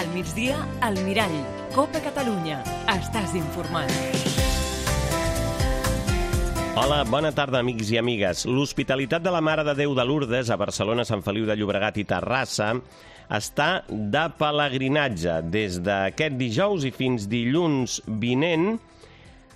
Al migdia, al Mirall. Copa Catalunya. Estàs informat. Hola, bona tarda, amics i amigues. L'Hospitalitat de la Mare de Déu de Lourdes a Barcelona, Sant Feliu de Llobregat i Terrassa està de pelegrinatge. Des d'aquest dijous i fins dilluns vinent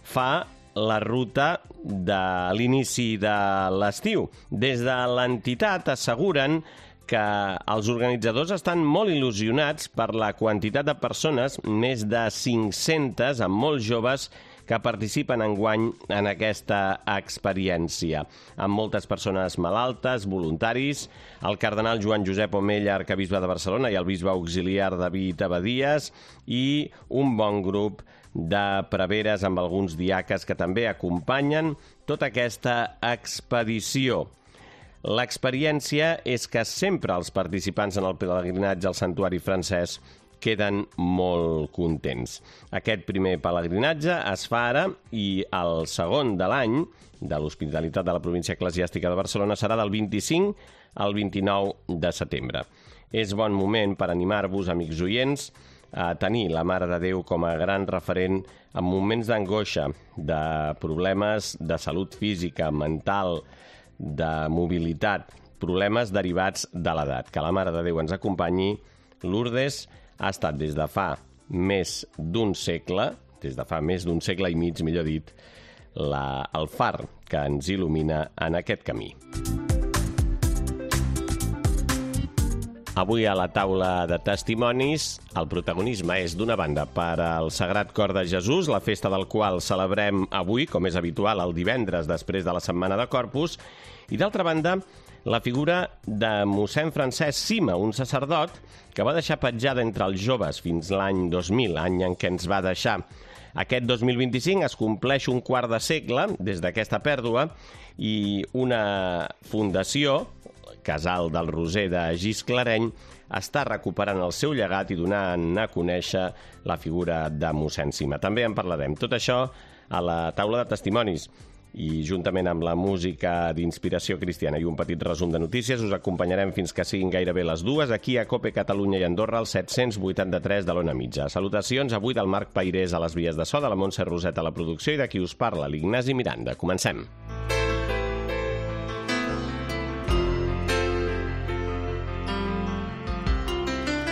fa la ruta de l'inici de l'estiu. Des de l'entitat asseguren que els organitzadors estan molt il·lusionats per la quantitat de persones, més de 500, amb molts joves, que participen enguany en aquesta experiència. Amb moltes persones malaltes, voluntaris, el cardenal Joan Josep Omella, arcabisbe de Barcelona, i el bisbe auxiliar David Abadies, i un bon grup de preveres amb alguns diaques que també acompanyen tota aquesta expedició. L'experiència és que sempre els participants en el pelegrinatge al santuari francès queden molt contents. Aquest primer pelegrinatge es fa ara i el segon de l'any de l'Hospitalitat de la Província Eclesiàstica de Barcelona serà del 25 al 29 de setembre. És bon moment per animar-vos, amics oients, a tenir la Mare de Déu com a gran referent en moments d'angoixa, de problemes de salut física, mental, de mobilitat, problemes derivats de l'edat. Que la Mare de Déu ens acompanyi. Lourdes ha estat des de fa més d'un segle, i mig, millor dit, el far que ens il·lumina en aquest camí. Avui a la taula de testimonis el protagonisme és d'una banda per al Sagrat Cor de Jesús, la festa del qual celebrem avui, com és habitual, el divendres després de la Setmana de Corpus, i d'altra banda la figura de mossèn Francesc Cima, un sacerdot que va deixar petjada entre els joves fins l'any 2000, any en què ens va deixar. Aquest 2025 es compleix un quart de segle des d'aquesta pèrdua i una fundació, Casal del Roser de Gisclareny, està recuperant el seu llegat i donant a conèixer la figura de mossèn Cima. També en parlarem. Tot això a la taula de testimonis. I juntament amb la música d'inspiració cristiana i un petit resum de notícies us acompanyarem fins que siguin gairebé les 2 aquí a Cope Catalunya i Andorra al 783 de l'Ona Mitja. Salutacions avui del Marc Pairés a les vies de so, de la Montse Roset a la producció i de qui us parla, l'Ignasi Miranda. Comencem.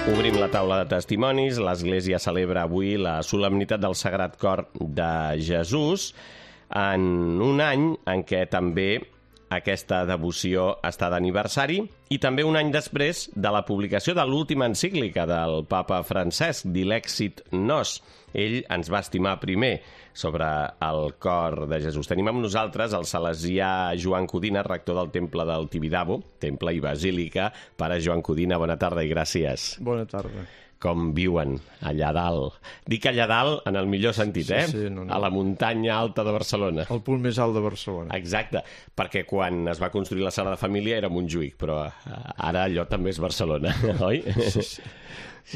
Obrim la taula de testimonis. L'Església celebra avui la solemnitat del Sagrat Cor de Jesús, en un any en què també aquesta devoció està d'aniversari i també un any després de la publicació de l'última encíclica del papa Francesc, Dilexit Nos. Ell ens va estimar primer sobre el cor de Jesús. Tenim amb nosaltres el salesià Joan Codina, rector del Temple del Tibidabo, temple i basílica. Pare Joan Codina, bona tarda i gràcies. Bona tarda. Com viuen allà dalt. Dic allà dalt en el millor sentit, Sí, no. A la muntanya alta de Barcelona. El punt més alt de Barcelona. Exacte, perquè quan es va construir la sala de família era Montjuïc, però ara allò també és Barcelona, oi? Sí.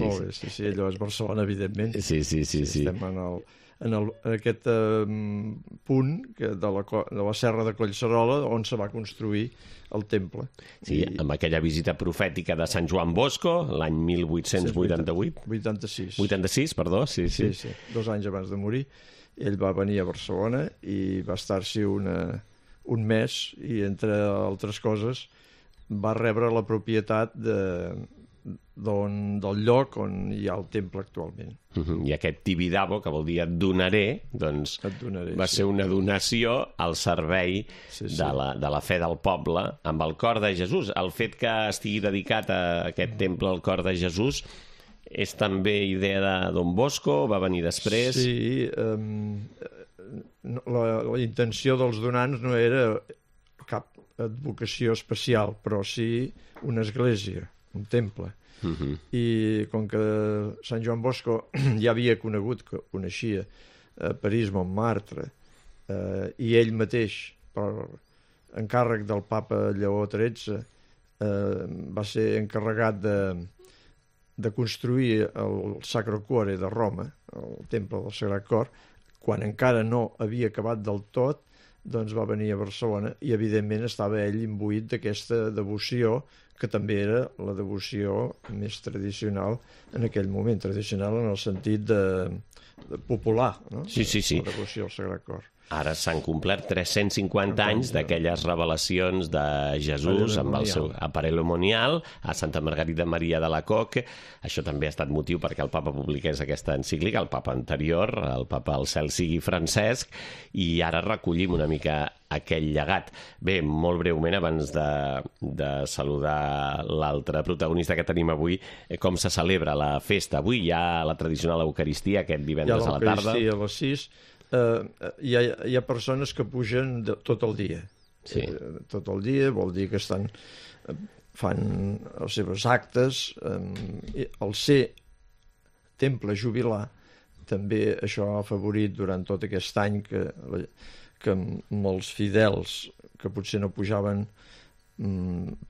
Molt bé, sí, allò és Barcelona, evidentment. Sí. Estem en aquest punt de la serra de Collserola on se va construir el temple. Sí, amb aquella visita profètica de Sant Joan Bosco, l'any 1888. 86. 86, perdó, sí. 2 anys abans de morir. Ell va venir a Barcelona i va estar-s'hi un mes i, entre altres coses, va rebre la propietat del lloc on hi ha el temple actualment. I aquest Tibidabo, que vol dir et donaré, doncs va ser una donació al servei de la fe del poble amb el cor de Jesús. El fet que estigui dedicat a aquest temple al cor de Jesús és també idea de Don Bosco, va venir després? Sí, la intenció dels donants no era cap advocació especial, però sí una església, un temple. I com que Sant Joan Bosco ja havia coneixia París, Montmartre, i ell mateix, per encàrrec del papa Lleó XIII, va ser encarregat de construir el Sacro Cuore de Roma, el temple del Sagrat Cor, quan encara no havia acabat del tot, doncs va venir a Barcelona i evidentment estava ell imbuït d'aquesta devoció que també era la devoció més tradicional en aquell moment, tradicional en el sentit de popular, no? Sí. La devoció al Sagrat Cor. Ara s'han complert 350 anys d'aquelles revelacions de Jesús amb el seu aparelomonial a Santa Margarida Maria de la Coque. Això també ha estat motiu perquè el papa publiqués aquesta encíclica, el papa anterior, el papa al cel sigui Francesc, i ara recollim una mica aquell llegat. Bé, molt breument, abans de saludar l'altre protagonista que tenim avui, com se celebra la festa? Avui hi ha la tradicional Eucaristia, aquest divendres a la tarda. Hi ha l'Eucaristia a les 6. Hi ha persones que pugen tot el dia. Sí. Tot el dia vol dir que fan els seus actes. El ser temple jubilar també això ha afavorit durant tot aquest any que molts fidels que potser no pujaven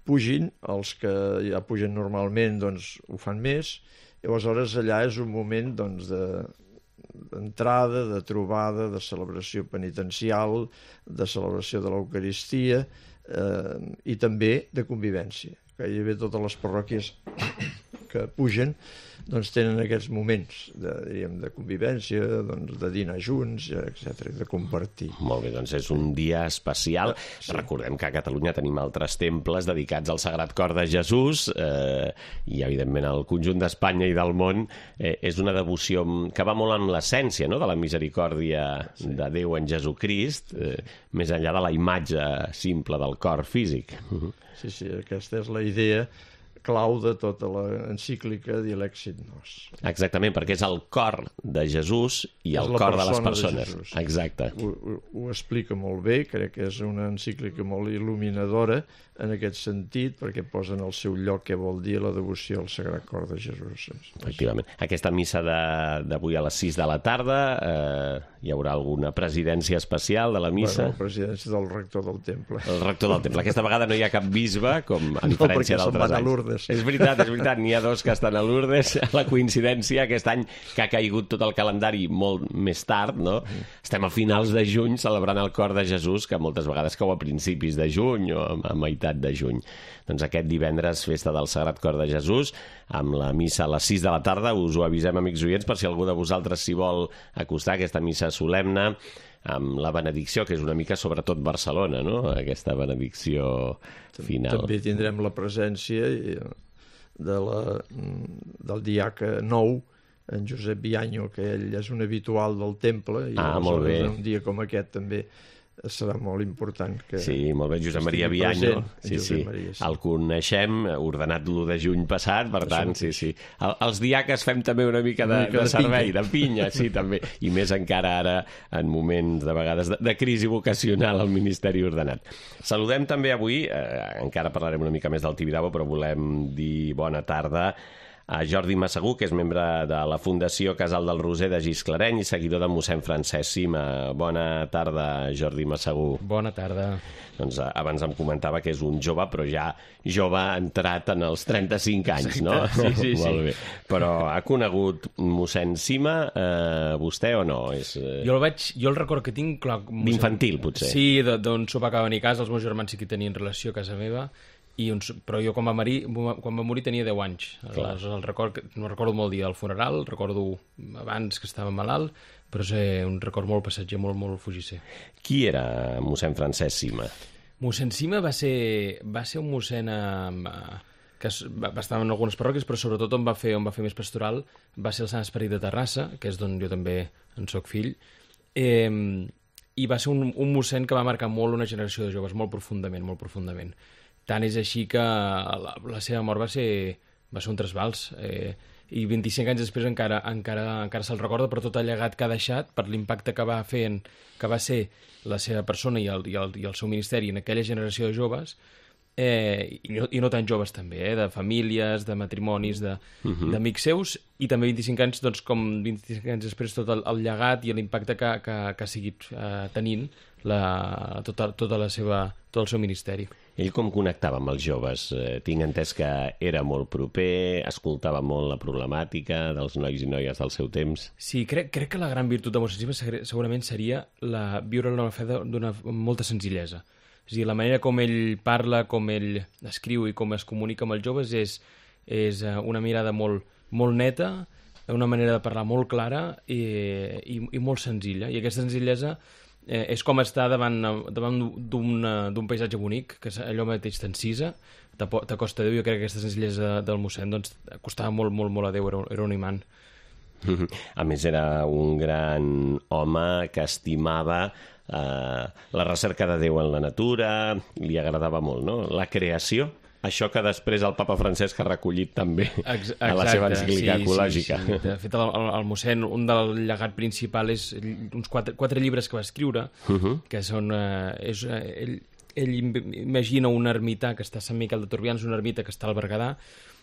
pugin, els que ja pugen normalment doncs ho fan més, i aleshores allà és un moment doncs d'entrada, de trobada, de celebració penitencial, de celebració de l'Eucaristia i també de convivència. Gairebé totes les parròquies que pugen doncs tenen aquests moments de convivència, doncs, de dinar junts, etc, de compartir. Molt bé, doncs és un dia especial. Sí. Recordem que a Catalunya tenim altres temples dedicats al Sagrat Cor de Jesús i, evidentment, el conjunt d'Espanya i del món és una devoció que va molt amb l'essència, no?, de la misericòrdia de Déu en Jesucrist, més enllà de la imatge simple del cor físic. Sí, aquesta és la idea clau de tota l'encíclica Dilexit Nos. Exactament, perquè és el cor de Jesús i el cor de les persones. Exacte. Ho explica molt bé, crec que és una encíclica molt il·luminadora en aquest sentit, perquè posa en el seu lloc què vol dir la devoció al Sagrat Cor de Jesús. Efectivament. Aquesta missa d'avui a les 6 de la tarda, hi haurà alguna presidència especial de la missa? Bueno, presidència del rector del temple. El rector del temple. Aquesta vegada no hi ha cap bisbe, com a diferència d'altres anys. És veritat, n'hi ha dos que estan a Lourdes. La coincidència aquest any que ha caigut tot el calendari molt més tard, no? Estem a finals de juny celebrant el Cor de Jesús, que moltes vegades cau a principis de juny o a meitat de juny. Doncs aquest divendres, festa del Sagrat Cor de Jesús, amb la missa a les 6 de la tarda. Us ho avisem, amics oients, per si algú de vosaltres s'hi vol acostar a aquesta missa solemne, amb la benedicció, que és una mica sobretot Barcelona, no?, aquesta benedicció final. També tindrem la presència del diaca nou, en Josep Bianyo, que ell és un habitual del temple, i molt bé. Un dia com aquest també serà molt important. Sí, molt bé, Josep Maria Bianyo. Sí. El coneixem, ordenat l'1 de juny passat, per tant, sí. Els diaques fem també una mica de servei, de pinya, sí, també. I més encara ara, en moments, de vegades, de crisi vocacional al Ministeri Ordenat. Saludem també avui, encara parlarem una mica més del Tibidabo, però volem dir bona tarda a Jordi Massagú, que és membre de la Fundació Casal del Roser de Gisclareny i seguidor de mossèn Francesc Sima. Bona tarda, Jordi Massagú. Bona tarda. Doncs abans em comentava que és un jove, però ja jove entrat en els 35 anys, no? Sí. Molt bé. Però ha conegut mossèn Sima, vostè o no? Jo el record que tinc... D'infantil, potser. Sí, d'un sopar que va venir a casa, els meus germans sí que tenien relació a casa meva, però jo quan va morir tenia 10 anys. Aleshores, no recordo molt el dia del funeral, recordo abans que estava malalt, però és un record molt passatger, molt fugisser. Qui era mossèn Francesc Sima? Mossèn Sima va ser un mossèn que va estar en algunes parròquies, però sobretot on va fer més pastoral va ser el Sant Esperit de Terrassa, que és d'on jo també en soc fill, i va ser un mossèn que va marcar molt una generació de joves, molt profundament. Tant és així que la seva mort va ser un trasbals, i 25 anys després encara se'l recorda per tot el llegat que ha deixat, per l'impacte que va ser la seva persona i el seu ministeri en aquella generació de joves, i no tan joves també, de famílies, de matrimonis, d'amics seus, i també 25 anys, doncs, com 25 anys després, tot el llegat i l'impacte que ha seguit tenint tot el seu ministeri. Ell com connectava amb els joves? Tinc entès que era molt proper, escoltava molt la problemàtica dels nois i noies del seu temps. Sí, crec que la gran virtut de Mossèn Cima segurament seria viure la fe d'una molta senzillesa. És a dir, la manera com ell parla, com ell escriu i com es comunica amb els joves és una mirada molt, molt neta, una manera de parlar molt clara i molt senzilla. I aquesta senzillesa és com estar davant d'un paisatge bonic, que allò mateix t'encisa, t'acosta a Déu. Jo crec que aquesta senzillesa del mossèn doncs, acostava molt, molt, molt a Déu, era un imant. A més, era un gran home que estimava la recerca de Déu en la natura, li agradava molt, no? La creació, això que després el papa Francesc ha recollit també a la seva encíclica ecològica. Sí. De fet, el mossèn, un del llegat principal és uns 4 llibres que va escriure, que són... Ell imagina un ermità que està a Sant Miquel de Turbians, una ermita que està al Berguedà,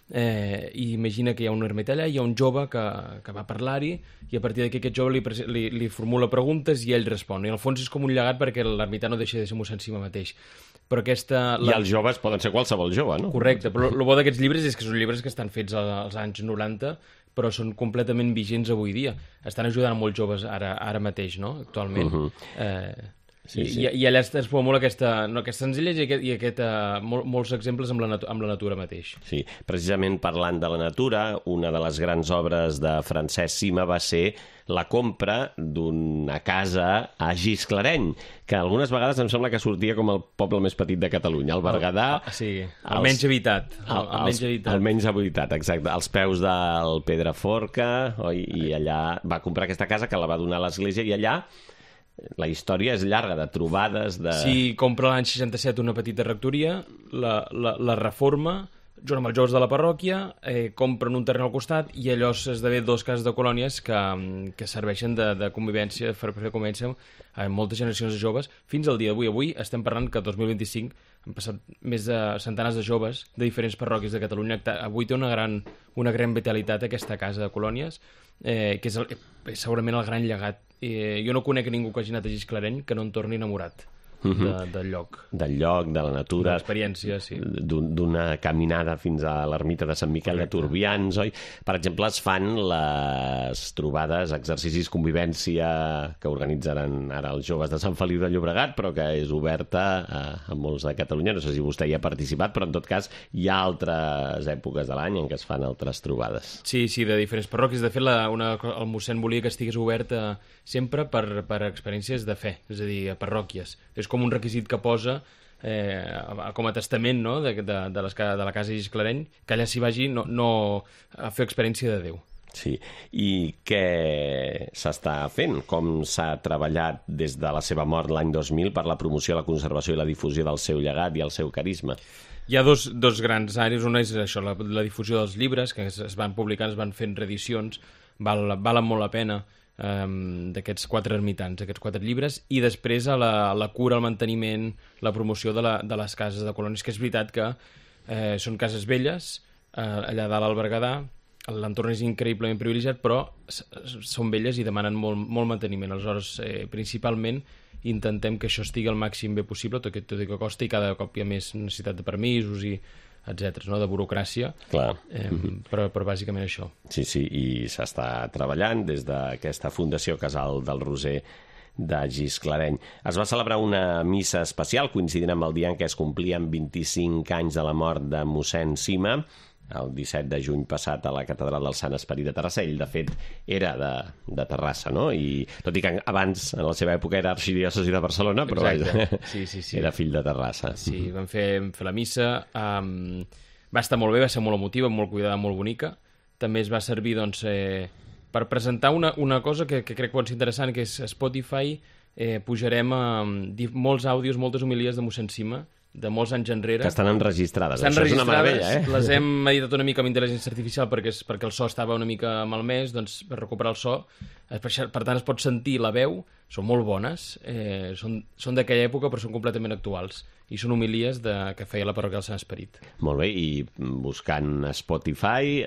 i imagina que hi ha un ermità allà, hi ha un jove que va parlar-hi, i a partir d'aquí aquest jove li formula preguntes i ell respon. I al fons és com un llegat perquè l'ermità no deixa de ser mossèn Cima mateix. Però I els joves poden ser qualsevol jove, no? Correcte, però el bo d'aquests llibres és que són llibres que estan fets als anys 90, però són completament vigents avui dia. Estan ajudant a molts joves ara mateix, no? Actualment. Sí. I allà es formula aquesta senzillesa i molts exemples amb la natura mateix. Sí, precisament parlant de la natura, una de les grans obres de Francesc Cima va ser la compra d'una casa a Gisclareny, que algunes vegades em sembla que sortia com el poble més petit de Catalunya, el Berguedà. Sí, el menys habitat. El menys habitat, exacte. Als peus del Pedraforca, oi? I allà va comprar aquesta casa que la va donar a l'església, i allà la història és llarga, de trobades... Sí, compra l'any 67 una petita rectoria, la reforma, junt amb els joves de la parròquia, compren un terreny al costat i allò esdevé 2 cases de colònies que serveixen de convivència, per fer convivència amb moltes generacions de joves, fins al dia d'avui. Avui estem parlant que el 2025 han passat més de centenars de joves de diferents parròquies de Catalunya. Avui té una gran vitalitat aquesta casa de colònies, que és segurament el gran llegat. Jo no conec ningú que hagi anat a Gisclareny que no en torni enamorat del lloc. Del lloc, de la natura. De l'experiència, sí. D'una caminada fins a l'ermita de Sant Miquel de Turbians, oi? Per exemple, es fan les trobades, exercicis, convivència que organitzaran ara els joves de Sant Feliu de Llobregat, però que és oberta a molts de Catalunya. No sé si vostè hi ha participat, però en tot cas hi ha altres èpoques de l'any en què es fan altres trobades. Sí, de diferents parròquies. De fet, el mossèn volia que estigués oberta sempre per experiències de fe, és a dir, a parròquies. És com un requisit que posa com a testament, no? de la casa de Gisclareny, que allà s'hi vagi no a fer experiència de Déu. Sí, i què s'està fent? Com s'ha treballat des de la seva mort l'any 2000 per la promoció, la conservació i la difusió del seu llegat i el seu carisma? Hi ha dos grans àrees. Una és això, la difusió dels llibres, que es van publicant, es van fent reedicions, valen molt la pena, d'aquests 4 ermitans, aquests 4 llibres, i després a la cura, el manteniment, la promoció de les cases de colònies, que és veritat que són cases velles, allà dalt al Berguedà, l'entorn és increïblement privilegiat, però són velles i demanen molt manteniment. Aleshores, principalment, intentem que això estigui al màxim bé possible, tot i que costa, i cada cop hi ha més necessitat de permisos i etcètera, no? De burocràcia. Clar. Però bàsicament això. Sí, i s'està treballant des d'aquesta Fundació Casal del Roser de Gisclareny. Es va celebrar una missa especial coincidint amb el dia en què es complien 25 anys de la mort de mossèn Cima, el 17 de juny passat a la Catedral del Sant Esperit de Terrassa. Ell, de fet, era de Terrassa, no? I tot i que abans, en la seva època, era arxidiòcesi de Barcelona, però sí. Era fill de Terrassa. Sí, vam fer la missa. Va estar molt bé, va ser molt emotiva, molt cuidada, molt bonica. També es va servir, doncs, per presentar una cosa que crec que pot ser interessant, que és Spotify. Pujarem molts àudios, moltes homilies de mossèn Cima, de molts anys enrere. Que estan enregistrades. Estan enregistrades, és una meravella, les hem editat una mica amb intel·ligència artificial perquè el so estava una mica malmès, doncs per recuperar el so Per tant, es pot sentir la veu, són molt bones, són d'aquella època però són completament actuals, i són homilies que feia la parròquia del Sant Esperit. Molt bé, i buscant a Spotify,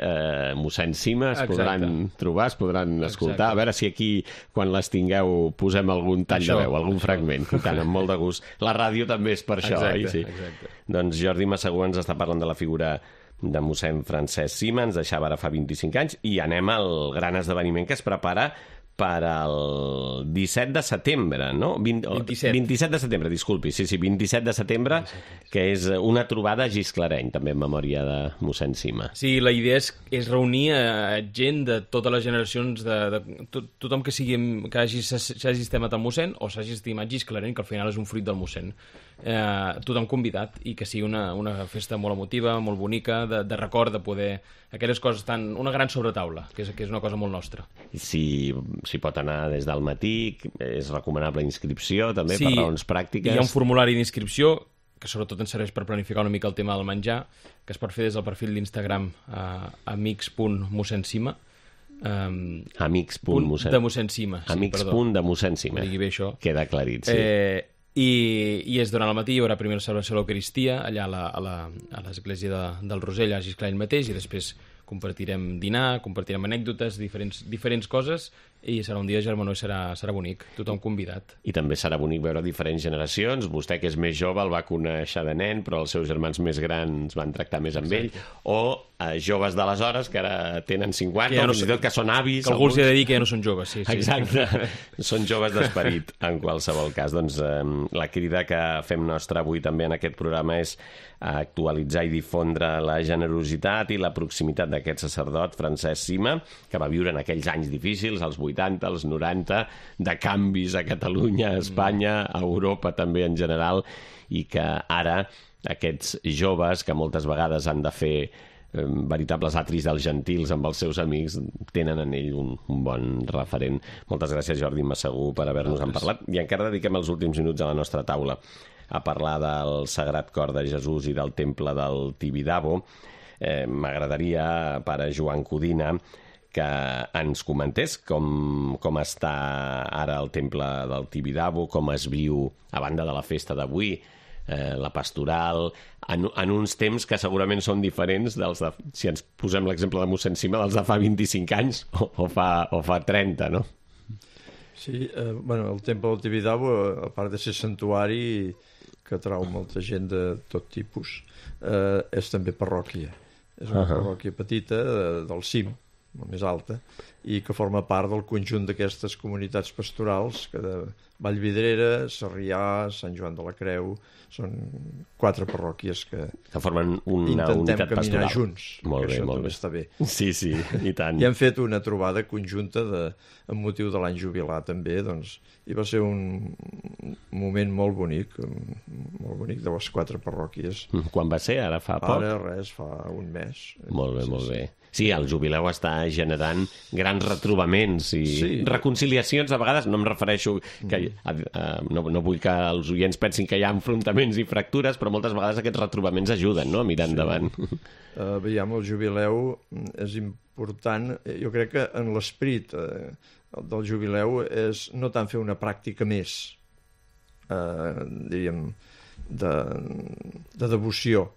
mossèn Cima, es podran trobar, es podran escoltar. A veure si aquí, quan les tingueu, posem algun tall de veu, algun fragment, tant, amb molt de gust. La ràdio també és per això, oi? Sí. Doncs Jordi Massagú ens està parlant de la figura de mossèn Francesc Cima, ens deixava ara fa 25 anys, i anem al gran esdeveniment que es prepara per al 17 de setembre, no? 27 de setembre, disculpi. Sí, 27 de setembre, que és una trobada a Gisclareny, també en memòria de mossèn Cima. Sí, la idea és reunir gent de totes les generacions, tothom que s'hagi estimat el mossèn o s'hagi estimat Gisclareny, que al final és un fruit del mossèn. Tothom convidat, i que sigui una festa molt emotiva, molt bonica, de record, de poder... Aquelles coses una gran sobretaula, que és una cosa molt nostra. Si pot anar des del matí, és recomanable inscripció, també, per raons pràctiques. Hi ha un formulari d'inscripció, que sobretot ens serveix per planificar una mica el tema del menjar, que es pot fer des del perfil d'Instagram amics.mossèn-Cima. Amics.mossèn. De mossèn Cima. Amics.de mossèn Cima. Digui bé això. Queda aclarit, sí. I és durant el matí, hi haurà primer la celebració de l'Eucaristia allà a l'església del Rosell, a Gisclareny mateix, i després compartirem dinar, compartirem anècdotes, diferents coses, i serà un dia de germanor i serà bonic, tothom convidat. I també serà bonic veure diferents generacions. Vostè, que és més jove, el va conèixer de nen, però els seus germans més grans van tractar més amb ell, o joves d'aleshores que ara tenen 50, o fins i tot que són avis. Que algú els ha de dir que ja no són joves, sí. Exacte, són joves d'esperit, en qualsevol cas. Doncs la crida que fem nostra avui també en aquest programa és actualitzar i difondre la generositat i la proximitat d'aquest sacerdot, Francesc Cima, que va viure en aquells anys difícils, als 80, als 90, de canvis a Catalunya, a Espanya, a Europa també en general, i que ara aquests joves, que moltes vegades han de fer veritables atris dels gentils amb els seus amics, tenen en ell un bon referent. Moltes gràcies, Jordi Massagú, per haver-nos-en parlat, i encara dediquem els últims minuts a la nostra taula a parlar del Sagrat Cor de Jesús i del temple del Tibidabo. M'agradaria, pare Joan Codina, que ens comentés com està ara el temple del Tibidabo, com es viu, a banda de la festa d'avui, la pastoral, en uns temps que segurament són diferents dels de, si ens posem l'exemple de mossèn Cima, dels de fa 25 anys o fa 30, no? Sí, el temple del Tibidabo, a part de ser santuari que atrau molta gent de tot tipus, és també parròquia. És una parròquia petita del cim, la més alta, i que forma part del conjunt d'aquestes comunitats pastorals, que de Vallvidrera, Sarrià, Sant Joan de la Creu, són 4 parròquies que formen una unitat pastoral. Intentem caminar junts, molt bé, això molt també bé. està bé. Sí, i tant. I hem fet una trobada conjunta amb motiu de l'any jubilar també, doncs, i va ser un moment molt bonic de les 4 parròquies. Quan va ser? Ara fa poc? Ara fa un mes. Molt bé, molt bé. Sí, el jubileu està generant grans retrobaments i reconciliacions, a vegades. No em refereixo que no vull que els oients pensin que hi ha enfrontaments i fractures, però moltes vegades aquests retrobaments ajuden, no?, a mirar endavant. Veiem, el jubileu és important. Jo crec que en l'esperit del jubileu és no tant fer una pràctica més, diríem, de devoció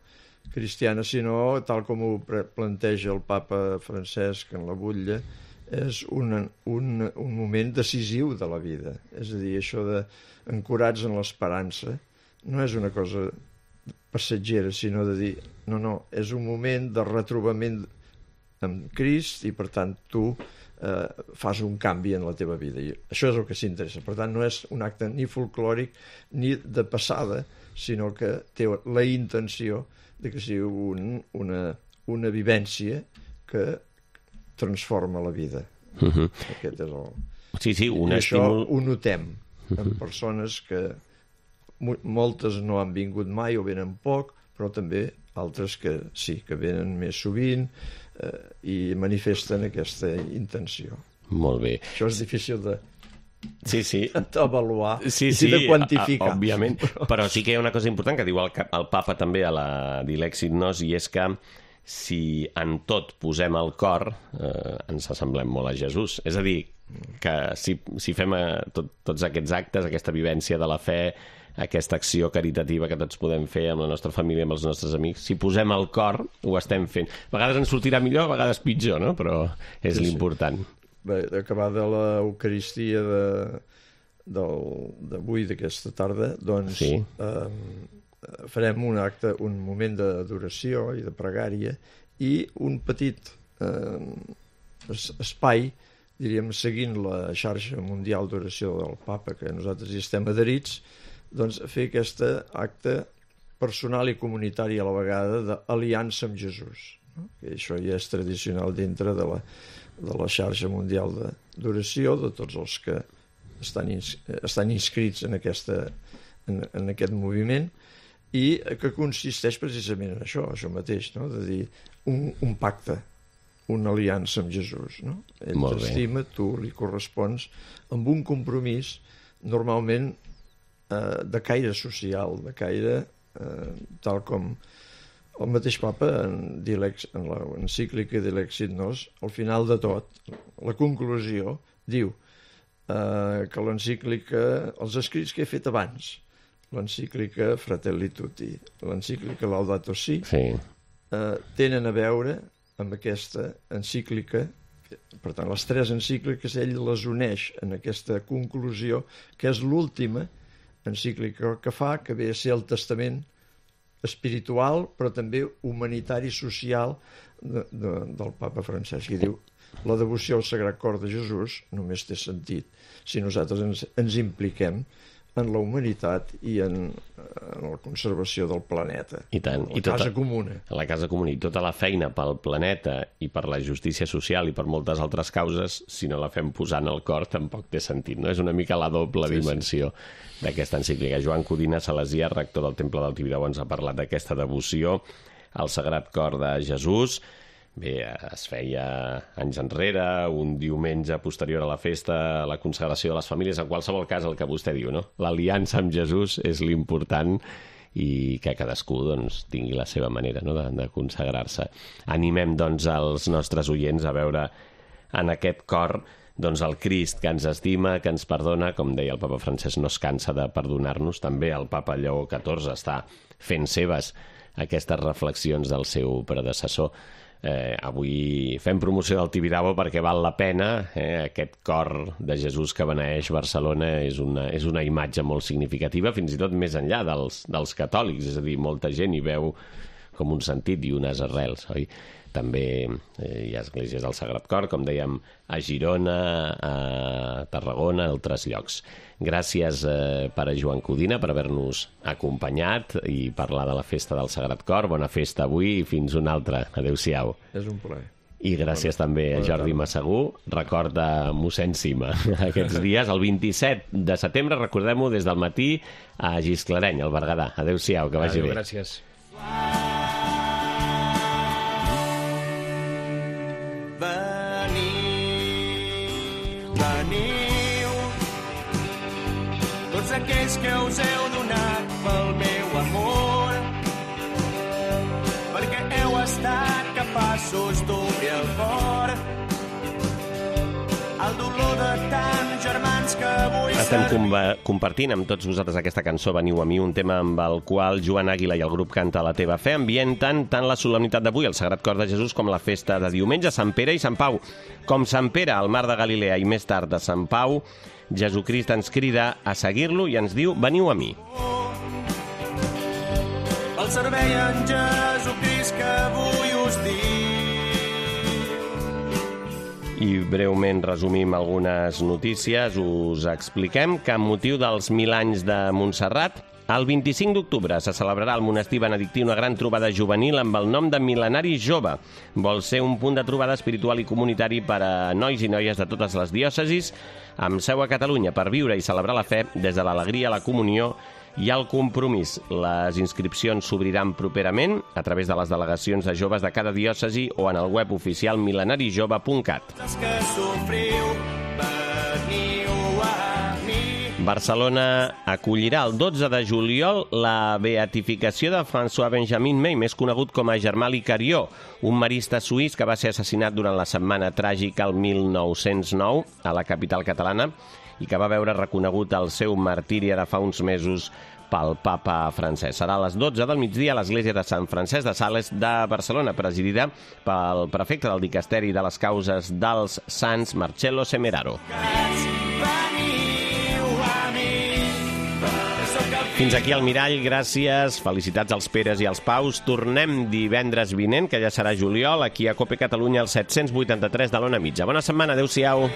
cristiana, sinó, tal com ho planteja el papa Francesc en la butlla, és un moment decisiu de la vida. És a dir, això d'ancorats en l'esperança no és una cosa passatgera, sinó de dir, no, és un moment de retrobament amb Crist i, per tant, tu fas un canvi en la teva vida. I això és el que s'interessa. Per tant, no és un acte ni folclòric ni de passada, sinó que té la intenció de que sigui una vivència que transforma la vida. Aquest és el... Sí, un estímul... Això ho notem en persones que moltes no han vingut mai o venen poc, però també altres que sí, que venen més sovint i manifesten aquesta intenció. Molt bé. Això és difícil d'avaluar i de quantificar. Òbviament, però sí que hi ha una cosa important que diu el papa també a la Dilexit Nos, i és que si en tot posem el cor, ens assemblem molt a Jesús. És a dir, que si fem tots aquests actes, aquesta vivència de la fe, aquesta acció caritativa que tots podem fer amb la nostra família, amb els nostres amics, si posem el cor, ho estem fent. A vegades ens sortirà millor, a vegades pitjor, no? Però és l'important. Bé, acabar de l'Eucaristia d'avui, d'aquesta tarda, doncs farem un acte, un moment d'adoració i de pregària i un petit espai, diríem, seguint la xarxa mundial d'oració del Papa, que nosaltres hi estem adherits, doncs fer aquest acte personal i comunitari a la vegada d'aliança amb Jesús, no? Que això ja és tradicional dintre de la xarxa mundial d'oració, de tots els que estan inscrits en aquest moviment, i que consisteix precisament en això mateix, no? De dir un pacte, una aliança amb Jesús, no? Ell t'estima, tu li correspons, amb un compromís normalment de caire social, de caire tal com el mateix Papa en l'encíclica Dilexit Nos, al final de tot, la conclusió, diu que l'encíclica, els escrits que he fet abans, l'encíclica Fratelli Tutti, l'encíclica Laudato Si, tenen a veure amb aquesta encíclica. Per tant, les tres encícliques ell les uneix en aquesta conclusió, que és l'última encíclica que fa, que ve a ser el testament espiritual, però també humanitari i social del Papa Francesc. I diu, la devoció al Sagrat Cor de Jesús només té sentit si nosaltres ens impliquem en la humanitat i en la conservació del planeta. I tant. La casa comuna. La casa comuna. I tota la feina pel planeta i per la justícia social i per moltes altres causes, si no la fem posant al cor, tampoc té sentit, no? És una mica la doble dimensió d'aquesta encíclica. Joan Codina Salesià, rector del Temple del Tibidabo, ens ha parlat d'aquesta devoció al Sagrat Cor de Jesús. Bé, es feia anys enrere, un diumenge posterior a la festa, a la consagració de les famílies. En qualsevol cas, el que vostè diu, no? L'aliança amb Jesús és l'important i que cadascú doncs, tingui la seva manera, no? de consagrar-se. Animem doncs, els nostres oients a veure en aquest cor doncs, el Crist que ens estima, que ens perdona. Com deia el Papa Francesc, no es cansa de perdonar-nos. També el Papa Lleó XIV està fent seves aquestes reflexions del seu predecessor. Avui fem promoció del Tibidabo perquè val la pena. Aquest cor de Jesús que beneeix Barcelona és una imatge molt significativa, fins i tot més enllà dels catòlics, és a dir, molta gent hi veu com un sentit i unes arrels, oi? També hi ha esglésies del Sagrat Cor, com dèiem, a Girona, a Tarragona, a altres llocs. Gràcies, pare Joan Codina, per haver-nos acompanyat i parlar de la festa del Sagrat Cor. Bona festa avui i fins una altra. Adéu-siau. És un plaer. I gràcies també a Jordi Massagú. Recorda mossèn Cima aquests dies. El 27 de setembre, recordem-ho, des del matí a Gisclareny, al Berguedà. Adéu-siau, que vagi bé. Gràcies. Veniu, tots aquells que us heu donat pel meu amor, perquè heu estat capaços d'obrir el cor al dolor de tants germans que avui estem compartint amb tots vosaltres aquesta cançó Veniu a mi, un tema amb el qual Joan Àguila i el grup Canta la teva fe ambienten tant la solemnitat d'avui, el Sagrat Cor de Jesús, com la festa de diumenge, Sant Pere i Sant Pau. Com Sant Pere al mar de Galilea i més tard a Sant Pau, Jesucrist ens crida a seguir-lo i ens diu veniu a mi. El servei en Jesucrist que avui us dic. I breument resumim algunes notícies. Us expliquem que amb motiu dels 1000 anys de Montserrat, el 25 d'octubre se celebrarà al monestir benedictí una gran trobada juvenil amb el nom de Mil·lenari Jove. Vol ser un punt de trobada espiritual i comunitari per a nois i noies de totes les diòcesis, amb seu a Catalunya, per viure i celebrar la fe des de l'alegria, la comunió i el compromís. Les inscripcions s'obriran properament a través de les delegacions de joves de cada diòcesi o en el web oficial mil·lenarijove.cat. Barcelona acollirà el 12 de juliol la beatificació de François-Benjamin May, més conegut com a Germà Licarió, un marista suís que va ser assassinat durant la setmana tràgica el 1909 a la capital catalana i que va veure reconegut el seu martiri ara fa uns mesos pel papa francès. Serà a les 12 del migdia a l'església de Sant Francesc de Sales de Barcelona, presidida pel prefecte del Dicasteri de les Causes dels Sants, Marcello Semeraro. Fins aquí el Mirall, gràcies, felicitats als Peres i als Paus. Tornem divendres vinent, que ja serà juliol, aquí a COPE Catalunya, al 783 de l'Ona Mitja. Bona setmana, adeu-siau.